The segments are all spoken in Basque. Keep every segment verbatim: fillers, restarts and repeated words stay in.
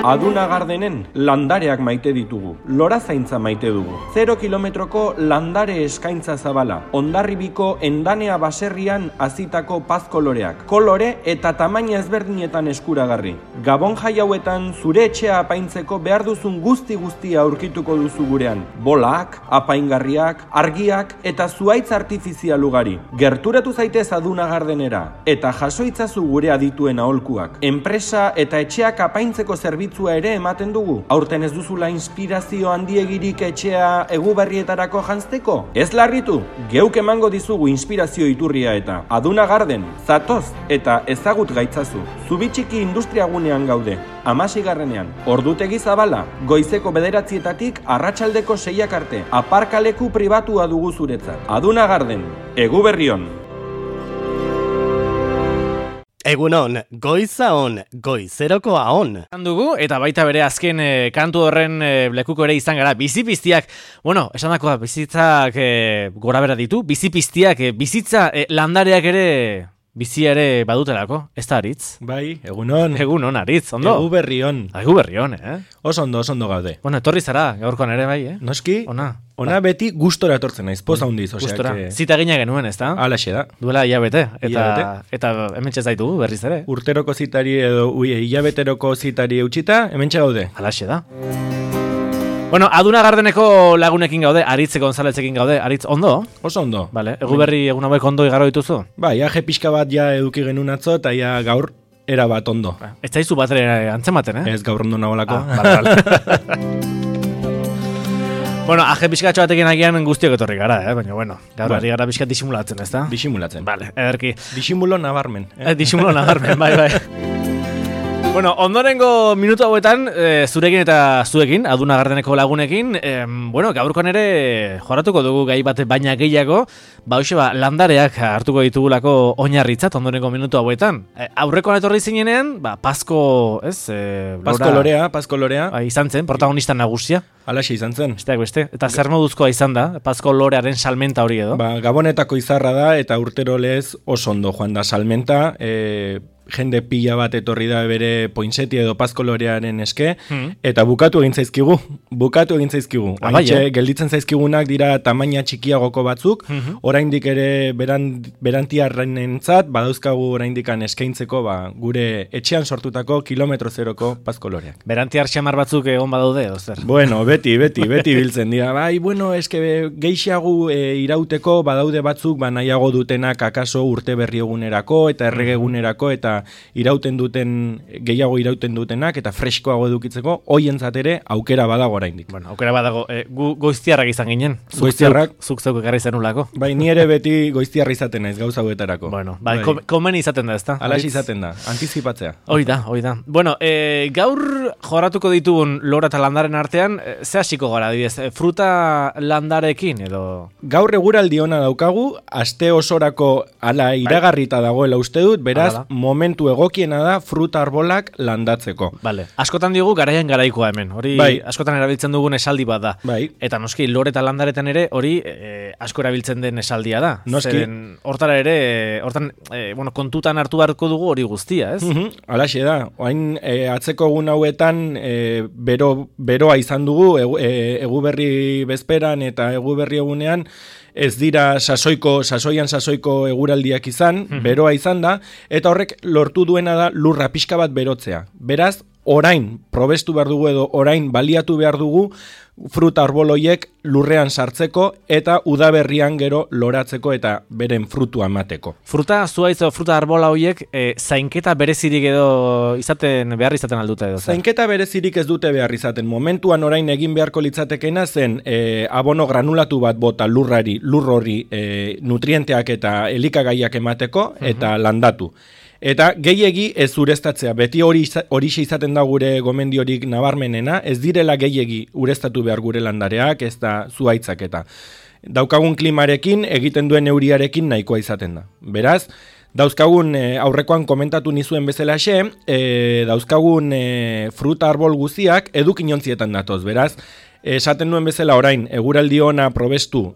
Aduna Gardenen landareak maite ditugu, lora zaintza maite dugu. Zero kilometroko landare eskaintza zabala, Hondarribiko Endanea baserrian hazitako paz koloreak, kolore eta tamaina ezberdinetan eskuragarri. Gabon jai hauetan zure etxea apaintzeko behar duzun guzti guztia aurkituko duzu gurean. Bolak, apaingarriak, argiak eta zuhaitz artifizial ugari. Gerturatu zaitez Aduna Gardenera eta jaso itzazu gure adituen aholkuak. Enpresa eta etxeak apaintzeko zerbitzua ere ematen dugu. Aurten ez duzula inspirazio handiegirik etxea eguberrietarako janzteko? Ez larritu, geuk emango dizugu inspirazio iturria eta Aduna Garden, zatoz eta ezagut gaitzazu. Zubitxiki industriagunean gaude, hamaseigarrenean. Ordutegi zabala, goizeko bederatzietatik arratsaldeko seiak arte. Aparkaleku pribatua dugu zuretzat. Aduna Garden, Eguberrion. Egunon, goiza on, goizerokoa on. Dugu, eta baita bere azken e, kantu horren e, lekuko ere izan gara, bizipiztiak, bueno, esan dakoa, bizitzak e, gora bera ditu, bizipiztiak, e, bizitza e, landareak ere, bizi ere badutelako, ez da Aritz? Bai, egunon. Egunon, Aritz, ondo? Eguberrion. Eguberrion, eh? Oso ondo, oso ondo gaude. Bueno, etorri zara, gaurkoan ere bai, eh? Noski? Ona. Ona beti gustora etortzen naiz, poza hundiz. Gustora, que... zita gina genuen, ez da? Alaxe da. Duela hilabete, eta, hilabete. Eta hemen txezaitu berriz ere. Urteroko zitari edo ui, hilabeteroko zitari eutxita, hemen gaude. Alaxe da. Bueno, Aduna Gardeneko lagunekin gaude, Aritz Gonzalezekin gaude. Aritz, ondo? Oso ondo. Vale, eguberri egun hauek ondo igaro dituzu? Ba, ja pixka bat ja eduki genuen atzo, eta ja gaur era bat ondo. Ba, ez zaizu bat ere antzematen, eh? Ez gaur ondo nagoelako. Ah, bale, bale. Bueno, aje pixkatxo batekin agian guztiok etorri gara, eh? Baina, bueno, gaur ari gara pixkat disimulatzen, ez da? Disimulatzen. Vale, ederki. Disimulo nabarmen. Eh? Eh, disimulo nabarmen, bai, bai. Bueno, ondorengo minutu hauetan, e, zurekin eta zuekin, Aduna Gardeneko lagunekin, e, bueno, gaurkoan ere joratuko dugu gai bat baina gehiago, ba, hoxe ba, landareak hartuko ditugulako oinarritzat ondorengo minutu hauetan. E, aurrekoan etorri zinenean, ba, Pazko, ez? E, Pazko lorea, Pazko lorea. Ba, izan zen, protagonista nagusia. Alaxe izan zen. Besteak beste. Eta zer moduzkoa izan da, Pazko lorearen salmenta hori edo? Ba, Gabonetako izarra da, eta urtero lez oso ondo joan da salmenta, e, jende pila bat etorri da bere pointseti edo Pazko lorearen eske, hmm. eta bukatu egin zaizkigu, bukatu egin zaizkigu. Ah, bai, eh? Gelditzen zaizkigunak dira tamaina txikiagoko batzuk, hmm. oraindik ere beran, berantiarrenentzat, badauzkagu oraindikan eskaintzeko ba, gure etxean sortutako kilometro zeroko Pazko loreak. Berantiar xamar batzuk egon badaude, edo zer? Bueno, beti, beti, beti biltzen dira. Bai, bueno, eske geixiago e, irauteko badaude batzuk, ba, nahiago dutenak akaso urte berri egunerako eta errege egunerako eta irauten duten, gehiago irauten dutenak eta freskoago edukitzeko, hoientzat ere aukera badago oraindik. Bueno, aukera badago, e, gu goiztiarrak izan ginen. Goiztiarrak. Zuk zeuk ekarri zenulako. Bai, ni ere beti goiztiarra izaten naiz gauza hauetarako. Bueno, bai, bai. Komen izaten da, ezta? Alax izaten da, antizipatzea. Hoi da, hoi da. Bueno, e, gaur joratuko ditugun lora eta landaren artean, e, ze hasiko gara, adibidez, e, fruta landarekin edo... Gaur eguraldi ona daukagu, aste osorako ala iragarrita dagoela uste dut, beraz, momentu egokiena da fruta arbolak landatzeko. Vale. Askotan diogu garaian garaikoa hemen. Hori bai. Askotan erabiltzen dugun esaldi bat da. Bai. Eta noski lore eta landaretan ere hori e, asko erabiltzen den esaldia da. Noski. Zeren hortara ere, hortan, e, bueno, kontutan hartu beharko dugu hori guztia, ez? Uh-huh. Alaxe da. Oain e, atzeko egun hauetan e, bero, beroa izan dugu egu, e, eguberri bezperan eta eguberri egunean ez dira sasoiko, sasoian sasoiko eguraldiak izan, mm-hmm. beroa izan da, eta horrek lortu duena da lurra pixka bat berotzea. Beraz, orain probestu behar dugu edo orain baliatu behar dugu fruta arboloiek lurrean sartzeko eta udaberrian gero loratzeko eta beren frutua emateko. Fruta zuaitz edo fruta arbola horiek e, zainketa berezirik edo izaten behar izaten aldute edo? Zainketa berezirik ez dute behar izaten. Momentuan orain egin beharko litzatekena zen e, abono granulatu bat bota lurrari, lur hori e, nutrienteak eta elikagaiak emateko eta uh-huh. landatu. Eta gehiegi ez ureztatzea, beti hori horixe izaten da gure gomendiorik nabarmenena, ez direla gehiegi ureztatu behar gure landareak, ez da zuhaitzak eta. Daukagun klimarekin, egiten duen euriarekin nahikoa izaten da. Beraz, dauzkagun e, aurrekoan komentatu nizuen bezalaxe, e, dauzkagun e, fruta arbol guztiak edukinontzietan datoz. Beraz, esaten duen bezala orain, eguraldi ona probestu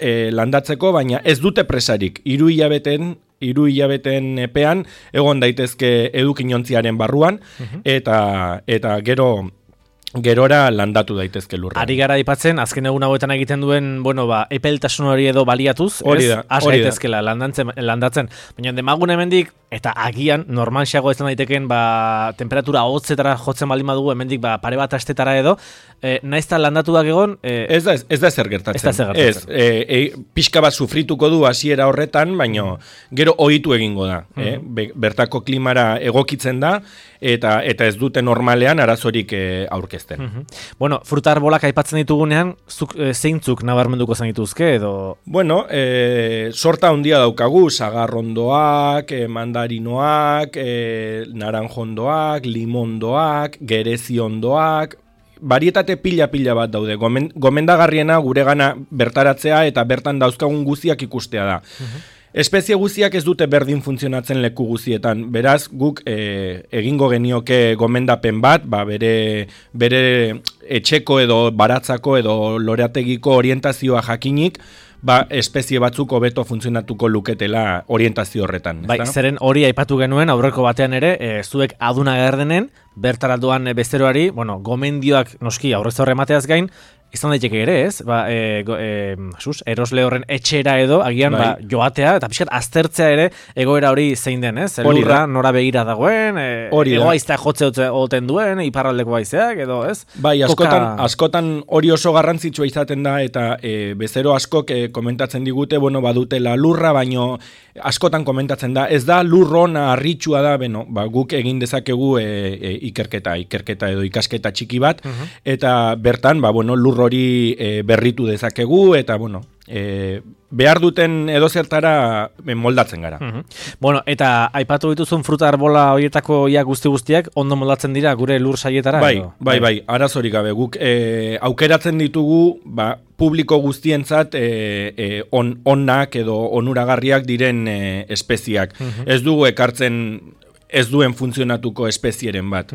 e, landatzeko, baina ez dute presarik, hiru hilabeten hiru hilabeten epean egon daitezke edukinontziaren barruan eta eta gero gerora landatu daitezke lurra. Ari gara aipatzen azken egun hauetan egiten duen, bueno, ba, epeltasun hori edo baliatuz, hori ez? da, Has hori da. gaitezkela landatzen, landatzen. Baina demagun hemendik eta agian normalxeago ez daiteken ba temperatura hotzetara jotzen baldin badugu hemendik ba pare bat astetara edo, eh, naizta landatuak egon, eh, Ez da, ez da zer gertatzen. Ez da zer gertatzen. Ez, e, e, pixka bat sufrituko du hasiera horretan, baino gero ohitu egingo da. eh? Be, bertako klimara egokitzen da, eta eta ez dute normalean arazorik e, aurkezten. Mhm. Bueno, fruta arbolak aipatzen ditugunean, zuk e, zeintzuk nabarmenduko zenituzke edo Bueno, e, sorta handia daukagu, sagarrondoak, e, mandarinoak, e, naranjondoak, limondoak, gereziondoak, barietate pila-pila bat daude. Gomen, gomendagarriena guregana bertaratzea eta bertan dauzkagun guztiak ikustea da. Espezie guztiak ez dute berdin funtzionatzen leku guztietan. Beraz, guk e, egingo genioke gomendapen bat, ba, bere, bere etxeko edo baratzako edo loreategiko orientazioa jakinik, ba, espezie batzuk hobeto funtzionatuko luketela orientazio horretan. bai, ezta? zeren hori aipatu genuen aurreko batean ere, e, zuek aduna gerdenen, bertara doan e, bezeroari, bueno, gomendioak noski aurrez horre emateaz gain, izan daiteke ere, ez? Ba, e, go, e, sus, erosle horren etxera edo, agian Bai. ba, joatea, eta pixkat aztertzea ere egoera hori zein den, ez? Hori Lurra da. nora begira dagoen, e, Hori da. egoaiztea jotze ote- oten duen, iparraldeko haizeak, edo, ez? Bai, askotan, Koka- askotan hori oso garrantzitsua izaten da, eta e, bezero askok e, komentatzen digute, bueno, badutela lurra, baino askotan komentatzen da, ez da lur ona harritxua da, beno, ba, guk egin dezakegu e, e, ikerketa, ikerketa edo ikasketa txiki bat, eta bertan, ba, bueno, lur hori e, berritu dezakegu, eta, bueno, e, behar duten edozertara e, moldatzen gara. Mhm. Bueno, eta aipatu dituzun fruta arbola horietako ia guzti guztiak ondo moldatzen dira gure lur saietara? Bai, edo? bai, bai, arazorik gabe. Guk e, aukeratzen ditugu, ba, publiko guztientzat e, e, on, onak edo onuragarriak diren e, espeziak. Ez dugu ekartzen ez duen funtzionatuko espezieren bat.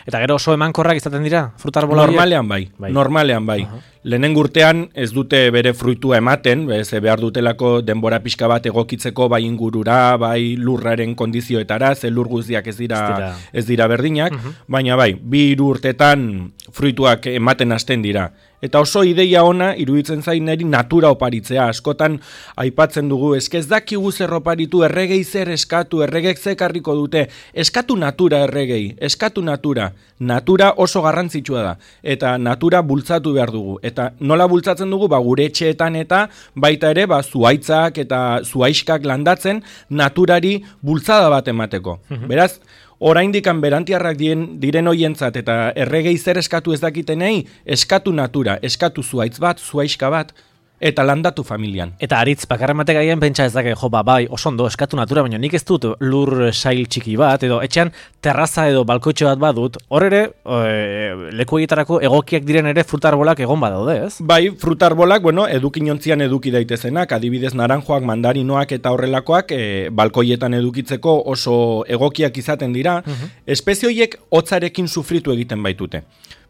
Eta gero oso emankorrak izaten dira fruta arbola horiek? Normalean bai, Bai. normalean bai. Lehenen urtean ez dute bere fruitua ematen, ze behar dutelako denbora pixka bat egokitzeko bai ingurura, bai lurraren kondizioetara, ze lur guztiak ez dira, Ez dira. ez dira berdinak, baina bai, bi hiru urtetan fruituak ematen hasten dira. Eta oso ideia ona iruditzen zain neri natura oparitzea. Askotan aipatzen dugu, eske ez dakigu zer oparitu, erregei zer eskatu, erregek zekarriko dute, eskatu natura erregei, eskatu natura. Natura oso garrantzitsua da, eta natura bultzatu behar dugu. Eta nola bultzatzen dugu, ba, gure etxeetan eta baita ere, ba, zuaitzak eta zuaiskak landatzen naturari bultzada bat emateko. Beraz, oraindikan berantiarrak diren, diren hoientzat eta erregei zer eskatu ez dakitenei, eskatu natura, eskatu zuaitz bat, zuaiska bat, eta landatu familian. Eta aritz, bakarren batek agian pentsa ez dake, jo, ba, bai, oso ondo, eskatu natura, baina nik ez dut lur sail txiki bat, edo etxean terraza edo balkoitxo bat badut, hor ere, e, leku egietarako egokiak diren ere fruta arbolak egon badaude, ez? Bai, frutarbolak, bueno, edukinontzian eduki daitezenak, adibidez naranjoak, mandarinoak eta horrelakoak e, balkoietan edukitzeko oso egokiak izaten dira, espezie horiek hotzarekin sufritu egiten baitute.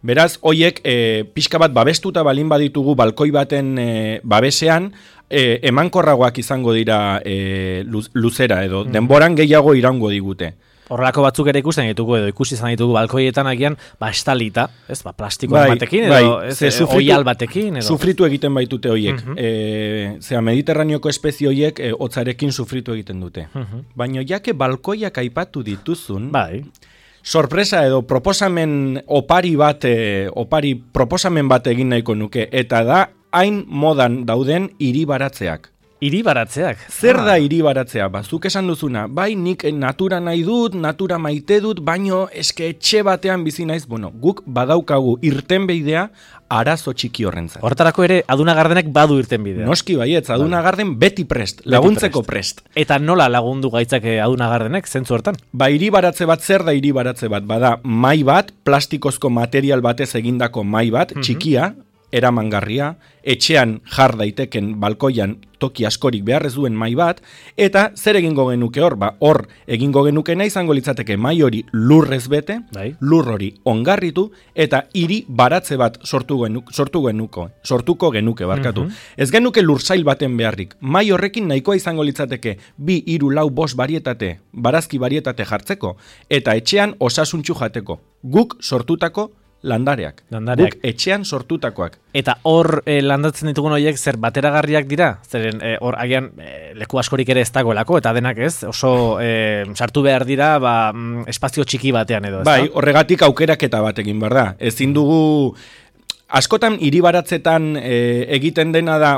Beraz, hoiek e, pixka bat babestuta balin baditugu balkoi baten e, babesean, e, emankorragoak izango dira e, luz, luzera edo denboran gehiago irango digute. Horrelako batzuk ere ikusten ditugu edo ikusi izan ditugu balkoietan agian ba estalita, ez? Ba plastiko Bai, batekin edo bai, ez, ze e, sufritu- oial batekin edo. Sufritu egiten baitute hoiek. E, zera, Mediterraneoko espezie hoiek e, hotzarekin sufritu egiten dute. Baina jake balkoiak aipatu dituzun, Bai. sorpresa edo proposamen opari bat, e, opari proposamen bat egin nahiko nuke, eta da hain modan dauden hiribaratzeak. Hiri baratzeak. Zer da hiribaratzea? Ba, zuk esan duzuna, bai nik natura nahi dut, natura maite dut, baino eske etxe batean bizi naiz, bueno, guk badaukagu irtenbeidea arazo txiki horrentzat. Horretarako ere aduna gardenek badu irten bidea. Noski baietz, aduna garden beti prest, laguntzeko prest. Eta nola lagundu gaitzake aduna gardenek zentzu hortan? Ba, hiribaratze bat, zer da hiribaratze bat? Bada, mai bat, plastikozko material batez egindako mai bat, txikia, eramangarria, etxean jar daiteken balkoian toki askorik behar ez duen mai bat, eta zer egingo genuke hor? Ba, hor egingo genukena izango litzateke mai hori lurrez bete, bai. lur hori ongarritu, eta hiri baratze bat sortu genuk, sortu genuko, sortuko genuke, barkatu. Mhm. Ez genuke lursail baten beharrik. Mai horrekin nahikoa izango litzateke bi, hiru, lau, bost barietate, barazki barietate jartzeko, eta etxean osasuntxu jateko. Guk sortutako landareak. Landareak. Guk etxean sortutakoak. Eta hor eh, landatzen ditugun horiek zer bateragarriak dira? Zeren eh, hor agian eh, leku askorik ere ez dagoelako, eta denak ez, oso eh, sartu behar dira ba, mm, espazio txiki batean edo. Ez Bai, da? horregatik aukeraketa bat egin behar da. Ezin dugu, askotan hiribaratzetan e, egiten dena da,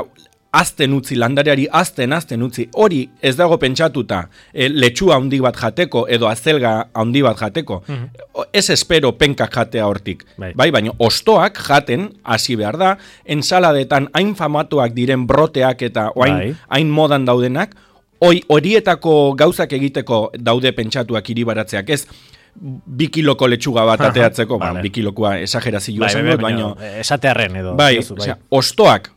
azten utzi, landareari azten, azten utzi, hori ez dago pentsatuta e, letxua handi bat jateko edo azelga handi bat jateko. Mm-hmm. Ez espero penkak jatea hortik. Bai. Bai, baina ostoak jaten hasi behar da, ensaladetan hain famatuak diren broteak eta hain, Bai. hain modan daudenak, hoi horietako gauzak egiteko daude pentsatuak hiribaratzeak, ez bi kiloko letxuga bat ateatzeko, Vale. bueno, bi kilokoa esagerazio Bai, esan bai, dut, bai, baina... baina esatearren edo. Bai, diozu, osea, ostoak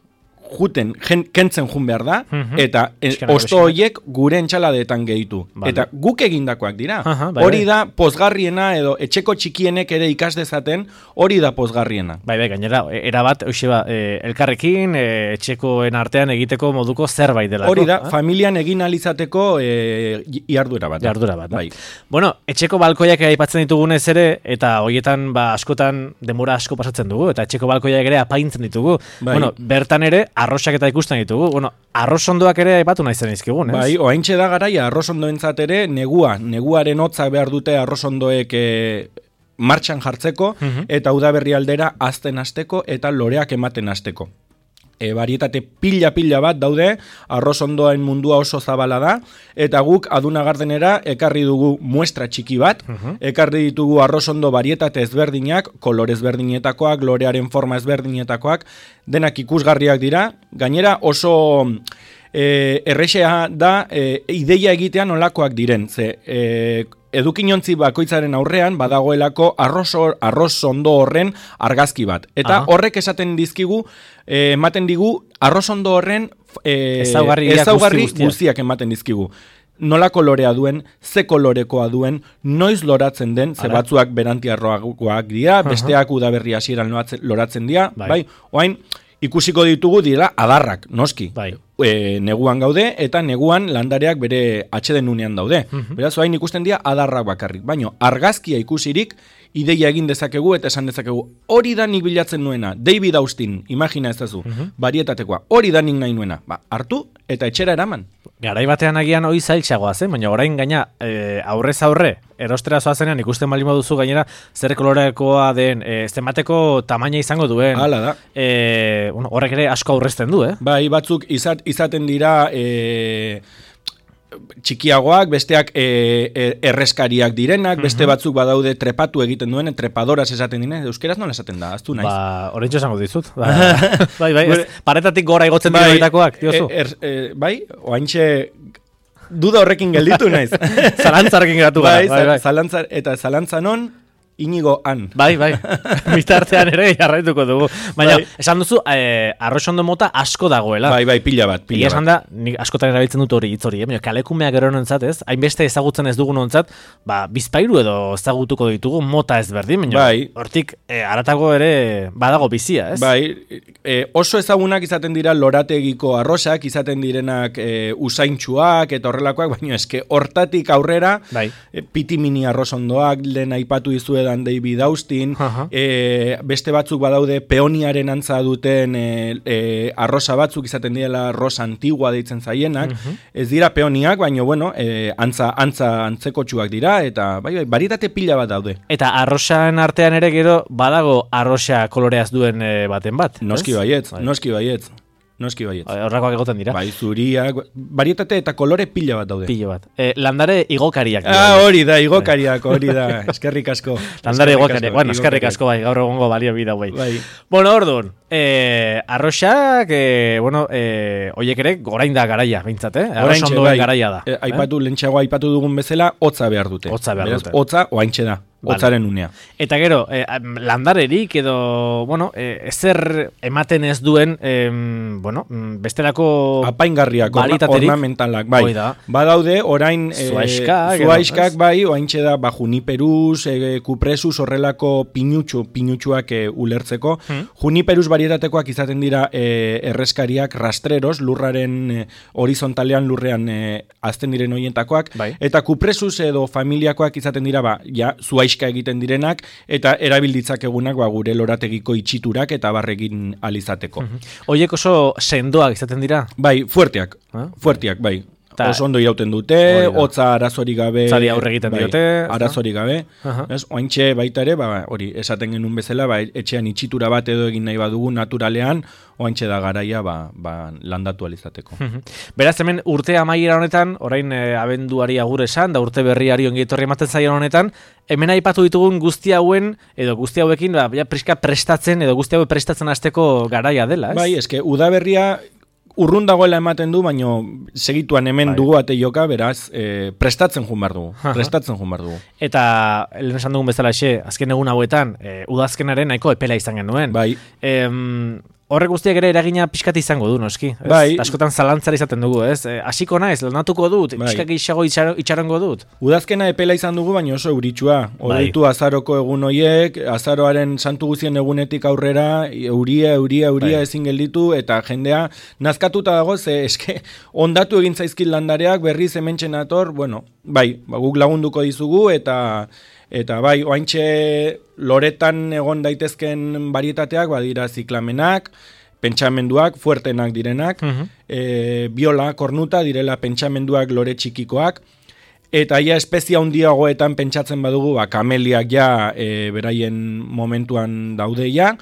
juten, jen, kentzen jun behar da, Mhm. eta e, Pixkanaka, osto pixkanaka. horiek gure entxaladetan gehitu. Vale. Eta guk egindakoak dira. Aha, bai, hori bai. da pozgarriena edo etxeko txikienek ere ikas dezaten, hori da pozgarriena. Bai, bai, gainera, e- erabat, hoxe ba, e, elkarrekin, e, etxekoen artean egiteko moduko zerbait delako. Hori da, ah? familian egin alizateko e, iardura bat. da. Jardura bat. da. Bai. Bueno, etxeko balkoiak aipatzen ditugunez ere, eta hoietan ba, askotan denbora asko pasatzen dugu, eta etxeko balkoiak ere apaintzen ditugu. Bai. Bueno, bertan ere, arrosak eta ikusten ditugu. Bueno, arrosondoak ere aipatu nahi zen izkigun, ez? Bai, oaintxe da garaia arrosondoentzat ere negua, neguaren hotzak behar dute arrosondoek e, martxan jartzeko, Mhm. eta udaberri aldera azten hasteko eta loreak ematen hasteko. E, barietate pila-pila bat daude, arrosondoen mundua oso zabala da, eta guk aduna gardenera ekarri dugu muestra txiki bat, Mhm. ekarri ditugu arrosondo barietate ezberdinak, kolore ezberdinetakoak, lorearen forma ezberdinetakoak, denak ikusgarriak dira, gainera oso... E, errexea da e, ideia egitean olakoak diren, ze e, edukinontzi bakoitzaren aurrean badagoelako arroso, arrozondo horren argazki bat. Eta Aha. horrek esaten dizkigu, e, ematen digu arrozondo horren e, Ezaugarriak ezaugarri guzti guztiak. guztiak ematen dizkigu. Nola kolorea duen, ze kolorekoa duen, noiz loratzen den, ze Ara. batzuak berantiarroagoak dira, besteak udaberri hasieran loratzen- loratzen dira, Bai. bai, oain ikusiko ditugu dira adarrak, noski. Bai. E, neguan gaude, eta neguan landareak bere atxedenunean daude. Mhm. Beraz, oain ikusten dira adarrak bakarrik. Baina, argazkia ikusirik, ideia egin dezakegu eta esan dezakegu, hori da nik bilatzen nuena, David Austin, imagina ez dazu, barietatekoa, hori da nik nahi nuena. Ba, hartu eta etxera eraman. Garai batean agian hori zailtxagoa zen, baina orain gaina e, aurrez aurre, erostera zoazenean ikusten bali moduzu gainera zer kolorekoa den, e, zenbateko tamaina izango duen. Hala da. E, bueno, horrek ere asko aurrezten du, eh? Bai, batzuk izat, izaten dira e, txikiagoak, besteak e, e, erreskariak direnak, beste batzuk badaude trepatu egiten duen, trepadoras esaten dine, euskeraz nola esaten da, aztu naiz. Ba, oraintxo esango dizut. Ba, bai, bai, ez, paretatik gora igotzen dira horietakoak, diozu. e, er, e, bai, oaintxe duda horrekin gelditu naiz. Zalantzarekin geratu gara, bai, bai, bai. Zalantza, eta zalantza non, Inigo han. Bai, bai, bitartean ere jarraituko dugu. Baina, Bai. esan duzu, eh, arrosondo mota asko dagoela. Bai, bai, pila bat, Egia pila esan bat. da, nik askotan erabiltzen dut hori hitz hori, eh? Baina kalekumeak gero nontzat, ez? Hainbeste ezagutzen ez dugun nontzat, ba, bizpairu edo ezagutuko ditugu mota ezberdin, baina Bai. hortik eh, haratago ere badago bizia, ez? Bai, e, oso ezagunak izaten dira lorategiko arrosak, izaten direnak e, usaintxuak eta horrelakoak, baina eske hortatik aurrera, Bai. e, piti mini arrosondoak, lehen aipatu dizuedan David Austin, Aha. e, beste batzuk badaude peoniaren antza duten e, e, arrosa batzuk izaten direla rosa antigua deitzen zaienak, ez dira peoniak, baina bueno, e, antza, antza antzekotxuak dira, eta bai, bai, barietate pila bat daude. Eta arrosan artean ere gero badago arrosa koloreaz duen eh, baten bat. Noski ez? baietz, Bai. noski baietz, noski baietz. Horrakoak egoten dira. Bai, zuriak, barietate eta kolore pila bat daude. Pilo bat. Eh, landare igokariak. dira. Ah, hori da, igokariak, hori da, eskerrik asko. Landare Eskerrik igokariak. asko, Bueno, eskerrik igokariak. asko bai, gaur egongo balio bida hauei. Bai. Bueno, orduan, Eh, arroxak, eh, bueno, eh, oiek ere, orain da garaia, behintzat, eh? Arrox ondoen bai, garaia da. Eh, aipatu, eh? lentsago aipatu dugun bezala, hotza behar dute. Hotza behar Beraz, dute. Hotza, oaintxe da. Hotzaren unea. Eta gero, eh, landarerik edo, bueno, eh, ezer ematen ez duen, eh, bueno, bestelako apaingarriak, ornamentalak, bai. Da. Badaude, orain, eh, zuaiskak, zuaiskak, bai, oaintxe da, ba, juniperus, eh, kupresuz, horrelako pinutxu, pinutxuak eh, ulertzeko. Hmm. Juniperus varietatekoak izaten dira eh, erreskariak rastreros, lurraren eh, horizontalean lurrean eh, azten diren horientakoak. Bai. Eta kupresuz edo familiakoak izaten dira, ba, ja, zuaiskak egiten direnak eta erabilditzak egunak ba, gure lorategiko itxiturak eta barrekin alizateko. Hoiek oso sendoak izaten dira? Bai, fuerteak, eh? fuerteak, bai. Ta, oso ondo irauten dute, hotza arazorik gabe, zari aurre egiten bai, diote, arazorik gabe. Uh-huh. Oaintxe baita ere, ba, hori, esaten genuen bezala, ba, etxean itxitura bat edo egin nahi badugu naturalean, oaintxe da garaia ba, ba, landatu alizateko. Uh-huh. Beraz, hemen urte amaiera honetan, orain eh, abenduari agur esan, da urte berriari ongietorri ematen zaion honetan, hemen aipatu ditugun guzti hauen, edo guzti hauekin, ba, ja, priska prestatzen, edo guzti haue prestatzen hasteko garaia dela, ez? Bai, eske, udaberria urrun dagoela ematen du, baino segituan hemen bai. dugu ate joka, beraz, e, prestatzen jun behar dugu. Prestatzen jun behar dugu. Eta, lehen esan dugun bezala xe, azken egun hauetan, e, udazkenaren nahiko epela izan genuen. Bai. E, Horrek guztiak ere eragina pixkat izango du, noski. Ez? Bai. Askotan zalantzara izaten dugu, ez? E, asiko naiz, lanatuko dut, bai. Pixkak isago itxarongo dut. Udazkena epela izan dugu, baina oso euritsua. Horritu bai. azaroko egun hoiek, azaroaren santu guzien egunetik aurrera, euria, euria, euria bai. ezin gelditu, eta jendea nazkatuta dago, ze eske ondatu egin zaizkit landareak, berriz hementxen ator, bueno, bai, ba, guk lagunduko dizugu, eta... Eta bai, oaintxe loretan egon daitezken varietateak, badira ziklamenak, pentsamenduak, fuertenak direnak, uh-huh. e, biola, kornuta, direla pentsamenduak lore txikikoak, eta ja espezia handiagoetan pentsatzen badugu, ba, kameliak ja e, beraien momentuan daude ja,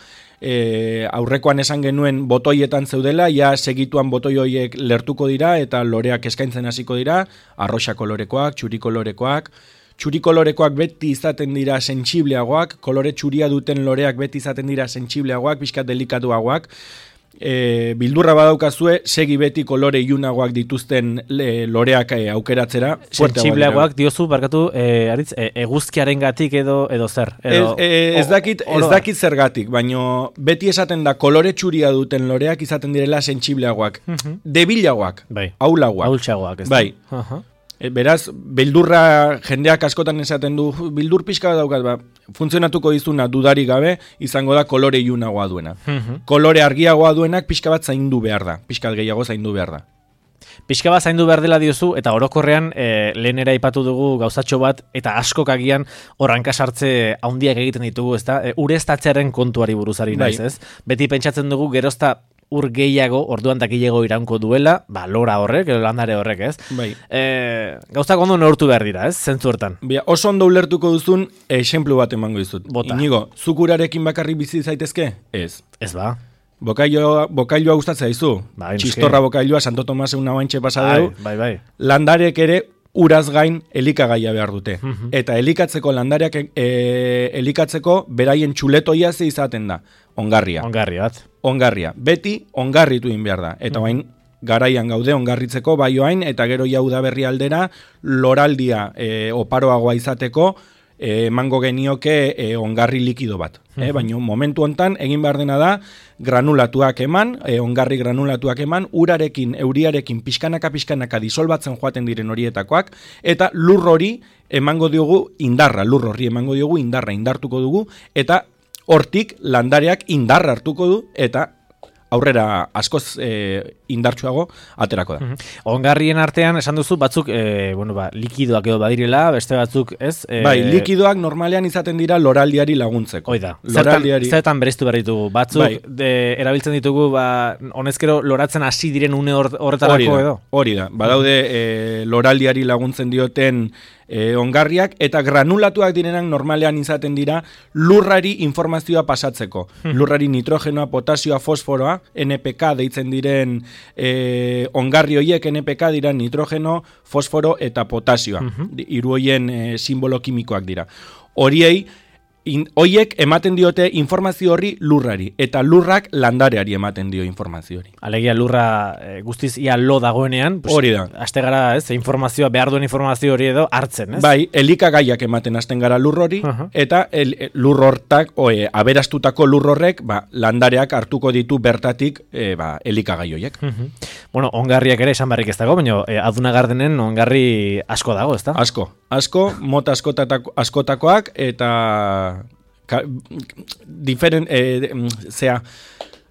e, aurrekoan esan genuen botoietan zeudela, ja segituan botoi horiek lertuko dira, eta loreak eskaintzen hasiko dira, arroxa kolorekoak, txuri kolorekoak, txuri kolorekoak beti izaten dira sentsibleagoak, kolore txuria duten loreak beti izaten dira sentsibleagoak, pixkat delikatuagoak. E, bildurra badaukazue, segi beti kolore ilunagoak dituzten le, loreak e, aukeratzera. Sentsibleagoak diozu, barkatu, e, aritz, e, eguzkiaren gatik edo, edo zer? Edo, ez, e, ez, dakit, ez dakit zergatik, baina beti esaten da kolore txuria duten loreak izaten direla sentsibleagoak. Uh-huh. Debilagoak, bai. aulagoak. Aultxagoak, ez bai. da. Uh-huh. Beraz, beldurra jendeak askotan esaten du, bildur pixka daukat, ba, funtzionatuko dizuna dudarik gabe, izango da kolore ilunagoa duena. Uh-huh. Kolore argiagoa duenak pixka bat zaindu behar da, pixka gehiago zaindu behar da. Pixka bat zaindu behar dela diozu, eta orokorrean e, lehenera aipatu dugu gauzatxo bat, eta askok agian horranka sartze handiak egiten ditugu, ezta? E, ureztatzearen kontuari buruzari naiz, ez? Beti pentsatzen dugu gerozta ur gehiago, orduan dakilego iraunko duela, ba, lora horrek, landare horrek, ez? Bai. E, gauzak ondo neurtu behar dira, ez? Zentzu hortan. Bia, oso ondo ulertuko duzun, exemplu bat emango dizut. Bota. Inigo, zukurarekin bakarrik bizi zaitezke? Ez. Ez ba. Bokailua, bokailua gustatzen zaizu. Bai, Txistorra bokailua, Santo Tomas una baintxe pasadeu. Bai, bai, bai. Landarek ere uraz gain elikagaia behar dute. Uh-huh. Eta elikatzeko landareak e, elikatzeko beraien txuletoia ze izaten da. Ongarria. Ongarria bat. Ongarria. Beti ongarritu egin behar da. Eta bain uh-huh. garaian gaude ongarritzeko bai oain, eta gero jau da berri aldera loraldia e, oparoagoa izateko emango genioke e, ongarri likido bat. Uh-huh. E, baina momentu hontan egin behar dena da granulatuak eman, e, ongarri granulatuak eman, urarekin, euriarekin pixkanaka-pixkanaka disolbatzen joaten diren horietakoak, eta lur hori emango diogu indarra, lur hori emango diogu indarra, indartuko dugu, eta hortik landareak indarra hartuko du, eta aurrera askoz e, indartsuago aterako da. Uh-huh. Ongarrien artean esan duzu batzuk e, bueno, ba, likidoak edo badirela, beste batzuk, ez? E... Bai, likidoak normalean izaten dira loraldiari laguntzeko. Oida. Loraldiari... Zertan, zertan bereiztu behar ditugu. Batzuk bai. de, erabiltzen ditugu, ba, honezkero loratzen hasi diren une horretarako edo? Hori da. Badaude e, loraldiari laguntzen dioten E, ongarriak, eta granulatuak direnak normalean izaten dira lurrari informazioa pasatzeko. Hmm. Lurrari nitrogenoa, potasioa, fosforoa, N P K deitzen diren e, ongarri horiek N P K dira nitrogeno, fosforo eta potasioa. Hmm. Hiru horien e, simbolo kimikoak dira. Horiei In, oiek ematen diote informazio horri lurrari, eta lurrak landareari ematen dio informazio hori. Alegia lurra e, guztiz ia lo dagoenean, pues, hori da. Aste gara, ez, informazioa, behar duen informazio hori edo hartzen, ez? Bai, elikagaiak ematen hasten gara lur hori, uh -huh. eta el, lur hortak, oe, aberastutako lur horrek, ba, landareak hartuko ditu bertatik e, ba, elikagai horiek. Uh -huh. Bueno, ongarriak ere esan barrik ez dago, baina e, Aduna Gardenen ongarri asko dago, ez da? Asko, asko, mota askotako, askotakoak, eta Ka, diferent, eh, zea,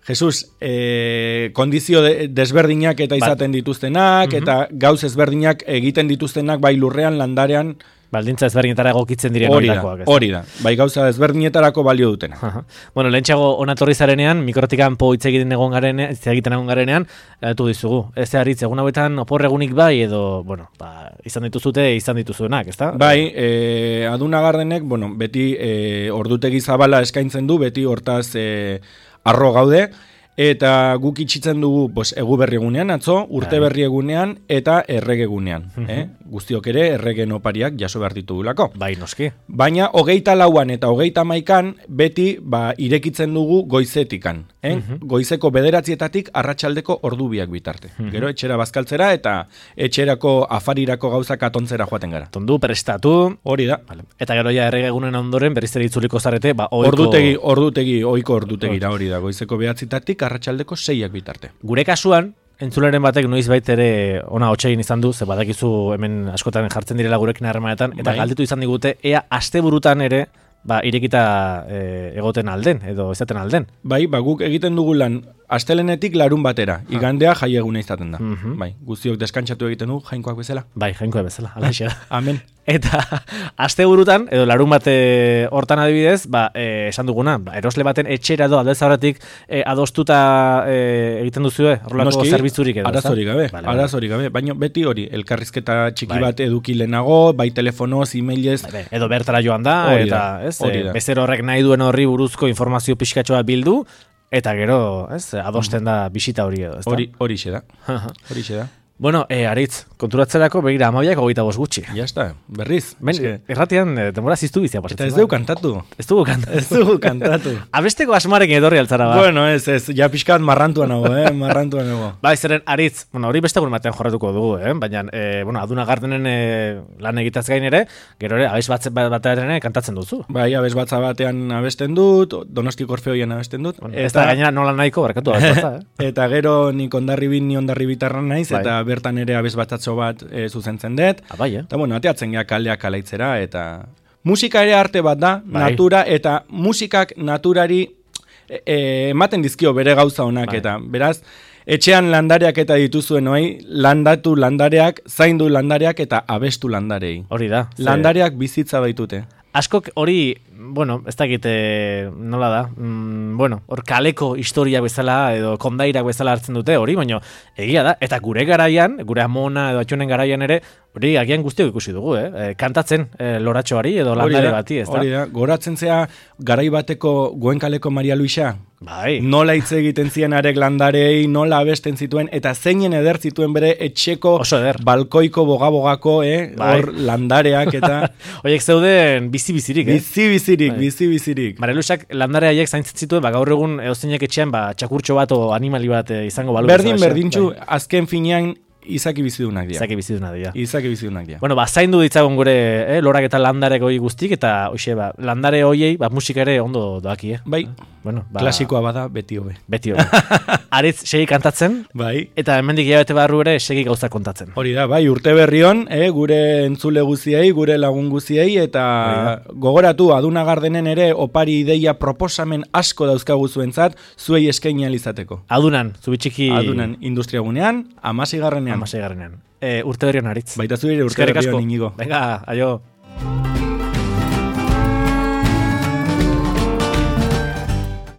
Jesus, eh, kondizio de, desberdinak eta izaten dituztenak, uh-huh. eta gauz ezberdinak egiten dituztenak bai lurrean, landarean. Baldintza ezberdinetara egokitzen diren hori da, horietakoak. Hori da, bai gauza ezberdinetarako balio dutena. Uh-huh. Bueno, lehentxeago onatorri zarenean, mikrotikan po hitz egiten egon garenean, hitz egiten egon garenean, gatu dizugu. Ez haritz, egun hauetan oporregunik bai, edo, bueno, ba, izan dituzute, izan dituzuenak, ezta? Bai, eh, Aduna Gardenek, bueno, beti eh, ordutegi zabala eskaintzen du, beti hortaz eh, arro gaude, eta guk itxitzen dugu pues, egu berri egunean, atzo, urte berri egunean, eta errege egunean. Uh-huh. eh? Guztiok ere, erregen opariak jaso behar ditugulako. Bai, noski. Baina, hogeita lauan eta hogeita maikan, beti ba, irekitzen dugu goizetikan. Eh? Uh-huh. Goizeko bederatzietatik arratsaldeko ordubiak bitarte. Uh-huh. Gero, etxera bazkaltzera eta etxerako afarirako gauzak atontzera joaten gara. Tondu, prestatu. Hori da. Vale. Eta gero ja errege egunen ondoren, berriz ere itzuliko zarete, ba, oiko... Ordutegi, ordutegi, oiko ordutegira hori da. Goizeko behatzitatik arratsaldeko seiak bitarte. Gure kasuan, entzuleren batek noiz bait ere ona hotxegin izan du, ze badakizu hemen askotan jartzen direla gurekin harremanetan, eta bai. Galdetu izan digute, ea asteburutan ere ba, irekita e, egoten alden, edo izaten alden. Bai, ba, guk egiten dugu lan astelenetik larun batera, igandea jaieguna izaten da. Uh-huh. Bai, guztiok deskantsatu egiten dugu, jainkoak bezala. Bai, jainkoak bezala, alaxe da. Amen. Eta asteburutan, edo larun bate hortan adibidez, ba, e, esan duguna, ba, erosle baten etxera edo aldez aurretik e, adostuta e, egiten duzue, horrelako zerbitzurik edo. Arazorik gabe, vale, arazorik gabe, baina beti hori, elkarrizketa txiki bai. bat eduki lehenago, bai telefonoz, e-mailez. Bai, edo bertara joan da, hori eta da, ez, hori e, bezer horrek nahi duen horri buruzko informazio pixkatxoa bildu, eta gero, ez, adosten da bisita hori edo, ez da? Hori, hori xe da, hori xe da. Bueno, eh, Aritz, konturatzerako begira amabiak hogeita bost gutxi. Ya está, berriz. Ben, que... Erratian, eh, denbora ziztu bizia pasatzen. Eta ez dugu kantatu. Ez dugu kantatu. Ez dugu kantatu. Abesteko asmarekin edorri altzara ba. Bueno, ez, ez, ja pixkat marrantuan nago, eh, marrantuan nago. Ba, zeren, Aritz, bueno, hori beste batean jorratuko dugu, eh, baina, eh, bueno, Aduna Gardenen eh, lan egitaz gain ere, gero ere, abes bat, batean kantatzen duzu. Bai, abes batza batean abesten dut, Donostiko Orfeoian abesten dut. Bueno, eta, ez da gainera nola nahiko, barkatu abes batza, eh? Eta gero nik ondarribin, ni ondarribitarran naiz, bai. Eta bertan ere abes batatxo bat e, zuzentzen dut. Ah, bai, eh? Eta bueno, ateatzen gea kaldeak alaitzera, eta musika ere arte bat da, bai. Natura, eta musikak naturari e, ematen dizkio bere gauza honak, bai. Eta beraz, etxean landareak eta dituzuen noi, landatu landareak, zaindu landareak eta abestu landarei. Hori da. Landareak bizitza baitute. Askok hori, bueno, ez dakit nola da, mm, bueno, hor kaleko historia bezala edo kondairak bezala hartzen dute hori, baina egia da, eta gure garaian, gure amona edo atxonen garaian ere, hori agian guztiok ikusi dugu, eh? E, kantatzen e, loratxoari edo landare bati, ez da? Hori da, goratzen zea garai bateko Goenkaleko Maria Luisa, bai. Nola hitz egiten zien arek landarei, nola abesten zituen, eta zeinen eder zituen bere etxeko balkoiko bogabogako, eh? Bai. Hor landareak eta... Oiek zeuden bizi-bizirik, eh? Bizi-bizirik, bai. Bizi-bizirik. Maria Luisak landare haiek zaintzen zituen, ba, gaur egun eozeinek etxean ba, txakurtxo bat o animali bat eh, izango balu. Berdin, berdintxu, bai. Azken finean, izaki bizidunak dira. Izaki bizidunak dira. Izaki bizidunak dira. Bueno, ba, zaindu ditzagun gure, eh, lorak eta landarek hoi guztik, eta, hoxe, ba, landare hoiei, ba, musika ere ondo doaki, eh? Bai, bueno, ba, klasikoa bada, beti hobe. Beti hobe. Aritz, segi kantatzen, bai. Eta hemendik hilabete barru ere segi gauza kontatzen. Hori da, bai, urte berrion, eh, gure entzule guziei, gure lagun guziei, eta gogoratu, Aduna Gardenen ere, opari ideia proposamen asko dauzkagu zuentzat, zuei eskaini alizateko. Adunan, zubitxiki... Adunan, industriagunean, amasigarrenean. Amasigarrenean. E, urte berrion, Aritz. Baita zure urte berrion, Inigo. Venga, aio.